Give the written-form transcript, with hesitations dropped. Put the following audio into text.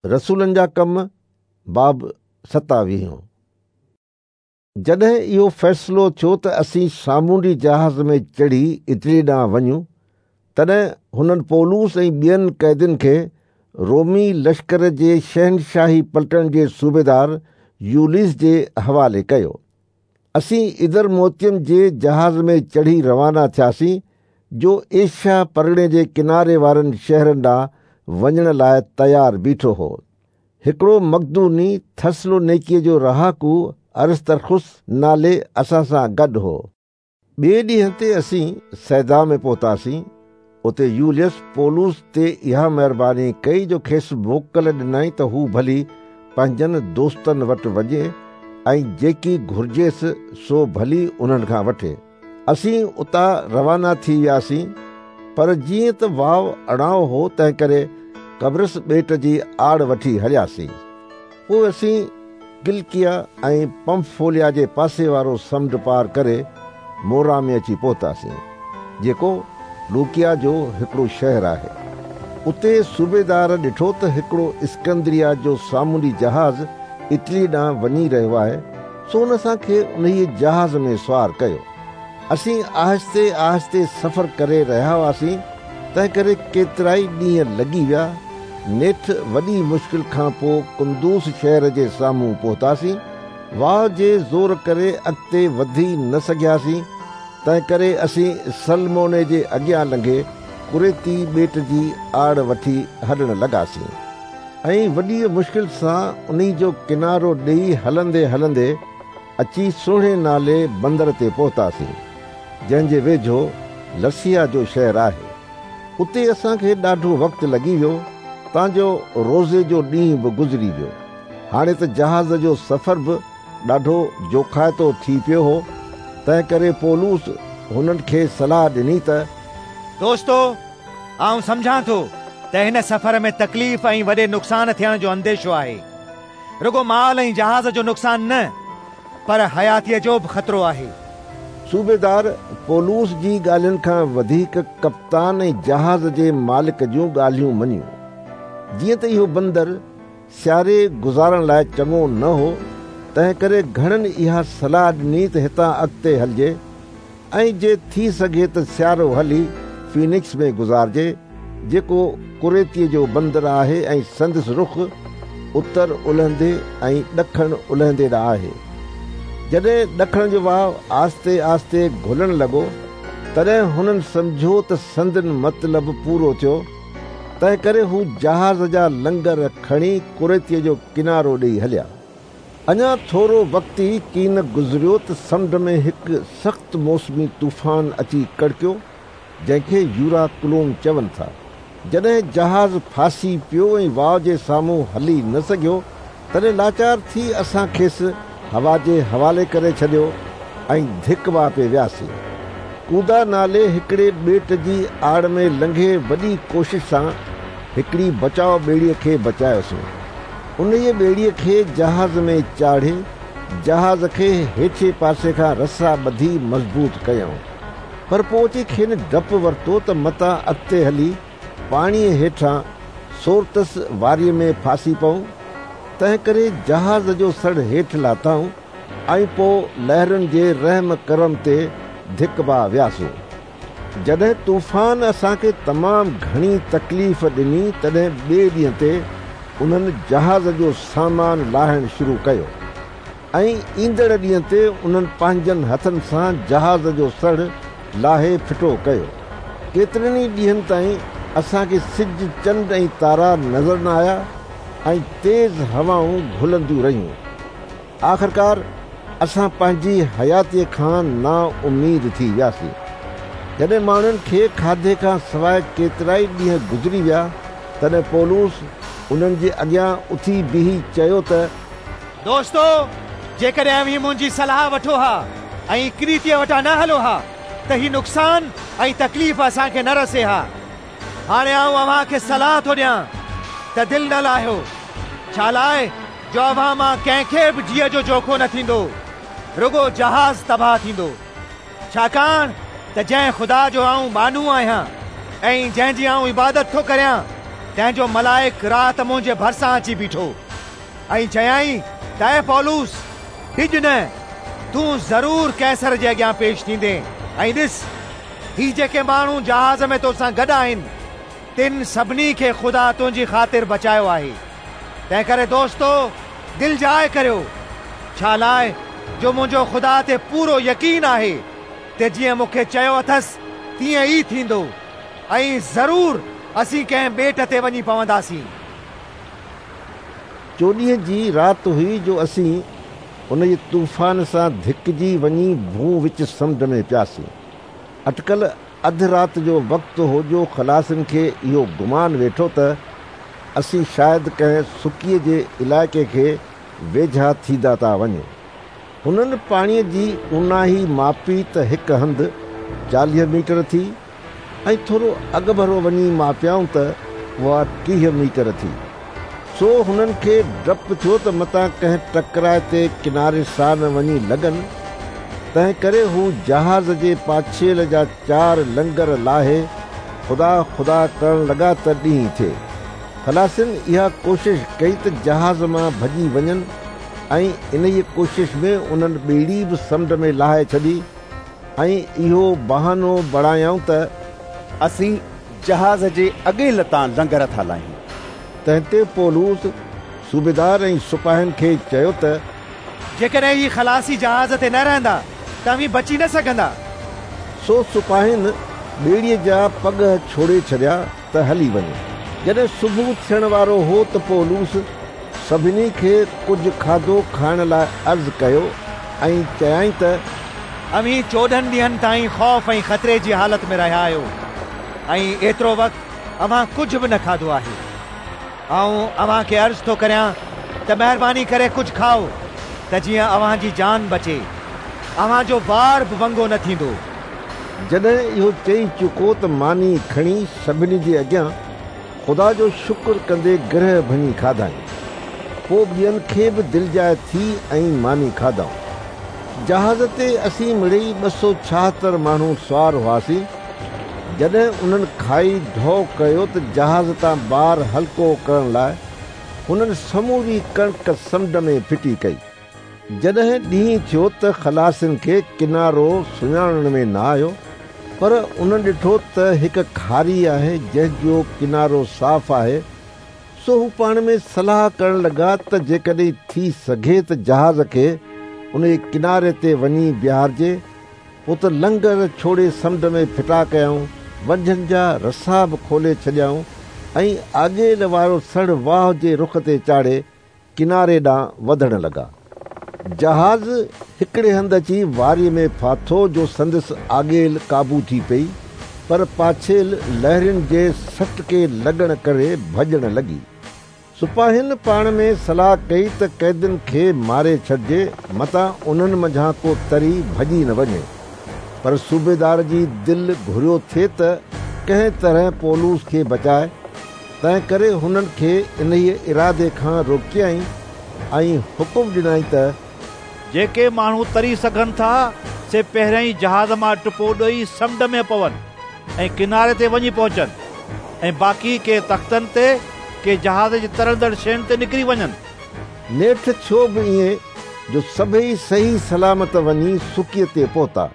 رسولن جا ڪم، باب ستاويهون. جڏهن اهو فيصلو ٿيو ته اسين سامونڊي جهاز ۾ چڙهي اٽلي ڏانهن وڃون، تڏهن هنن پولس ۽ ٻين قيدين کي رومي لشڪر جي شهنشاهي پلٽڻ جي صوبيدار يوليس جي حوالي ڪيو. اسين ادرموتيم جي جهاز ۾ چڙهي روانا ٿياسين، جو ايشيا پرڳڻي جي ڪناري وارن شهرن ڏانهن وڃڻ لاء تيار بيٺو هو. هڪڙو مقدوني ٿسلونيڪيء جو رهاڪو ارسترخس نالي اسان سان گڏ هو. ٻئي ڏينهن تي اسين صيدا ۾ پهتاسين. اتي يوليس پولس تي اها مهرباني ڪئي جو کيس موڪل ڏنائين ته هو ڀلي پنهنجن دوستن وٽ وڃي ۽ جيڪي گهرجيس سو ڀلي انهن کان وٺي. اسين اتان روانا ٿي وياسين، پر جيئن ته واء اڻائو هو تنهنڪري قبرص ٻيٽ جي آڙ وٺي هلياسين. پوء اسين ڪلڪيه ۽ پمفوليا جي پاسي وارو سمنڊ پار ڪري مورا ۾ اچي پهتاسين، جيڪو لوڪيا جو هڪڙو شهر آهي. اتي صوبيدار ڏٺو ته هڪڙو اسڪندريه جو سامونڊي جهاز اٽلي ڏانهن وڃي رهيو آهي، سو ان اسان کي انهيء جهاز ۾ سوار ڪيو. اسين آهستي آهستي سفر ڪري رهيا هئاسين، تنهنڪري ڪيترائي ڏينهن لڳي ويا. نيٺ وڏي مشڪل کان پوء ڪندوس شهر جي سامهون پهتاسين. واء جي زور ڪري اڳتي وڌي نه سگهياسين، تنهنڪري اسين سلموني جي اڳيان لنگهي ڪريتي ٻيٽ جي آڙ وٺي هلڻ لڳاسين. ۽ وڏيء مشڪل سان انهي جو ڪنارو ڏيئي هلندي هلندي اچي سهڻي نالي بندر تي پهتاسين، جنهن جي ويجهو لسيا جو شهر آهي. اتي اسان کي ڏاڍو وقت لڳي ويو، تان جو روزي جو ڏينهن به گذري ويو. هاڻي ته جهاز جو سفر به ڏاڍو جوکائتو ٿي پيو هو، تنهنڪري پولس هنن کي صلاح ڏني ته. دوستو! آئون سمجهان ٿو ته هن سفر ۾ تڪليف ۽ وڏي نقصان ٿيڻ جو انديشو آهي. رڳو مال ۽ جهاز جو نقصان نه، پر حياتيء جو به خطرو آهي. صوبيدار پولس جي ڳالهين کان وڌيڪ ڪپتان ۽ جهاز جي مالڪ جون ڳالهيون مڃيون. جيئن ته اهو بندر سياري گذارڻ لاء چڱو نه هو، تنهنڪري گهڻن اها صلاح ڏني ته هتان اڳتي هلجي. ۽ جي ٿي سگهي ته سيارو هلي فينڪس ۾ گذارجي، جيڪو ڪريتيء جو بندر آهي ۽ سندس رخ اتر الهندي ۽ ڏکڻ الهندي ڏانهن آهي. جڏهن ڏکڻ جو واء آهستي آهستي گهلڻ لڳو، تڏهن هنن سمجهيو ته سندن مطلب پورو ٿيو، تنهنڪري هو جهاز جا لنگر کڻي ڪريتيء جو ڪنارو ڏيئي هليا. اڃا ٿورو وقت ئي ڪين گذريو ته سمنڊ ۾ هڪ سخت موسمي طوفان اچي ڪڙڪيو، جنهن کي يوراڪلون چون ٿا. جڏهن جهاز ڦاسي پيو ۽ واء جي سامهون هلي نه سگهيو، تڏهن لاچار ٿي اسان کيس هوا جي حوالي ڪري ڇڏيو ۽ ڌڪبا پئي وياسين. ڪودا نالي هڪڙي ٻيٽ جي آڙ ۾ لنگهي وڏي ڪوشش سان هڪڙي بچاء ٻيڙيء کي بچايوسون. انهيء ٻيڙيء کي جهاز ۾ چاڙهي، جهاز کي هيٺئين پاسي کان رسا ٻڌي مضبوط ڪيائون. پر پوء اچي کين ڊپ ورتو ته متان اڳتي هلي پاڻيء هيٺان سورتس واريء ۾ ڦاسي پئون، تنهنڪري جهاز جو سڙهه هيٺ لاٿائون ۽ پوء لهرن جي رحم ڪرم تي ڌڪبا وياسون. جڏهن طوفان اسان کي تمام گهڻي تڪليف ڏني تڏهن ٻئي ڏينهن تي انهن جهاز جو سامان لاهڻ شروع ڪيو ۽ ايندڙ ڏينهن تي انهن پنهنجن هٿن سان جهاز جو سڙهه لاهي ڦٽو ڪيو. ڪيترن ئي ڏينهن تائين اسان کي سج، چنڊ ۽ تارا نظر نه آيا ۽ تيز هوائون گهلنديون رهيون. آخرڪار اسان پنهنجي حياتيء کان نااميد ٿي وياسين. جڏهن ماڻهن کي کاڌي کان سواء ڪيترائي ڏينهن گذري ويا، تڏهن پولس انهن جي اڳيان اٿي بيهي چيو ته. دوستو! جيڪڏهن اوهين منهنجي صلاح وٺو ها ۽ ڪريتيء وٽان نه هلو ها ته هي نقصان ۽ تڪليف اسان کي نه رسي ها. هاڻي آئون اوهان کي صلاح ٿو ڏيان ته دل نه لاهيو، ڇالاء جو اوهان مان ڪنهن کي به جيء جو جوکو نه ٿيندو، رڳو جهاز تباهه ٿيندو. ڇاڪاڻ ته جنهن خدا جو آئون ٻانهو آهيان ۽ جنهن جي آئون عبادت ٿو ڪريان، تنهن جو ملائڪ رات منهنجي ڀرسان اچي بيٺو ۽ چيائين ته اي پولس، ڊڄ نه، تون ضرور قيصر جي اڳيان پيش ٿيندين ۽ ڏس، هي جيڪي ماڻهو جهاز ۾ توسان گڏ آهن، تن سڀني کي خدا تنهنجي خاطر بچايو آهي. تنهنڪري دوستو، دلجاء ڪريو، ڇالاء جو منهنجو خدا تي پورو يقين آهي ته جيئن مون کي چيو اٿس تيئن ئي ٿيندو ۽ ضرور اسين ڪنهن ٻيٽ تي وڃي پونداسين. چوڏهينء جي رات هئي جو اسين انهيء طوفان سان ڌڪجي وڃي ڀونء وچ سمنڊ ۾ پياسين. اٽڪل اڌ رات جو وقت هو جو خلاصين کي اهو گمان ويٺو ته اسين شايد ڪنهن سڪيء جي علائقي کي ويجها ٿيندا ٿا وڃون. هنن پاڻيء جي اونهائي ماپي ته هڪ هنڌ 40 ميٽر ٿي ۽ ٿورو اڳڀرو وڃي ماپيائون ته اها 30 ميٽر ٿي. سو هنن کي ڊپ ٿيو ته متان ڪنهن ٽڪرائتي ڪناري سان نه وڃي لڳن، تنهنڪري هو جهاز جي پاڇيل جا چار لنگر لاهي خدا خدا ڪرڻ لڳا ته ڏينهن ٿئي. خلاصين اها ڪوشش ڪئي ته جهاز مان ڀڄي وڃن ۽ انهيء ڪوشش ۾ انهن ٻيڙي به سمنڊ ۾ لاهي ڇڏي ۽ اهو بهانو بڻايائون ته. اسين جهاز جي اڳيل تان لنگر ٿا لاهيون. تنهن تي پولس صوبيدار ۽ سپاهين کي چيو ته. جيڪڏهن هي خلاصي جهاز تي نه رهندا ته اوهين بچي نه سگهندا. سو سپاهين ٻيڙيء جا پڳهه ڇوڙي ڇڏيا ته هلي وڃي. جڏهن صبح ٿيڻ وارو هو ته پولس سڀني کي ڪجهه کاڌو کائڻ لاء عرض ڪيو ۽ چيائين ته. اوهين 14 ڏينهن تائين خوف ۽ خطري جي حالت ۾ رهيا آهيو ۽ ايترو وقت اوهان ڪجهه به نه کاڌو آهي. آئون اوهان کي عرض ٿو ڪريان ته مهرباني ڪري ڪجهه کائو ته جيئن اوهان جي جان بچي. اوهان جو وار به ونگو نه ٿيندو. جڏهن اهو چئي چڪو ته ماني کڻي سڀني جي اڳيان خدا جو شڪر ڪندي گرهه ڀڃي کاڌائين. پوء ٻين کي به دلجاء ٿي ۽ ماني کاڌائون. جهاز تي اسين مڙيئي 276 ماڻهو سوار هئاسين. جڏهن انهن کائي ڍؤ ڪيو ته جهاز تان بار هلڪو ڪرڻ لاء هنن سموري ڪڻڪ سمنڊ ۾ ڦٽي ڪئي. جڏهن ڏينهن ٿيو ته خلاصين کي ڪنارو سڃاڻڻ ۾ نه آيو، پر انهن ڏٺو ته هڪ کاري آهي جنهن جو ڪنارو صاف آهي، سو هو پاڻ ۾ صلاح ڪرڻ لڳا ته جيڪڏهن ٿي سگهي ته جهاز کي انهيء ڪناري تي وڃي بيهارجي. پوء ته لنگر ڇوڙي سمنڊ ۾ ڦٽا ڪيائون، ونجهن جا رسا به کولي ڇڏيائون ۽ آڳيل وارو سڙهه واء جي رخ تي چاڙهي ڪناري ڏانهن وڌڻ لڳا. جهاز هڪڙي هنڌ اچي واريء ۾ ڦاٿو جو سندس آڳيل قابو ٿي پئي، پر پاڇيل لهرين جي سٽڪي لڳڻ ڪري ڀڄڻ لڳي. سپاهين پاڻ ۾ صلاح ڪئي ته قيدين کي ماري ڇڏجي، متان انهن منجهان ڪو تري ڀڄي نه وڃي. پر صوبيدار جي دل گهريو ٿي ته ڪنهن طرح پولس کي بچائي، تنهنڪري هنن کي انهيء ارادي کان روڪيائين ۽ حڪم ڏنائين ته. جيڪي ماڻهو تري سگهن ٿا، سي پهريائين جهاز مان ٽپو ڏيئي سمنڊ ۾ پون ۽ ڪناري تي وڃي پهچن ۽ باقي ڪي تختن تي، ڪي جهاز جي ترندڙ شين تي نڪري وڃن. نيٺ ٿيو به ائين جو سڀيئي صحيح سلامت وڃي سڪيء تي پهتا.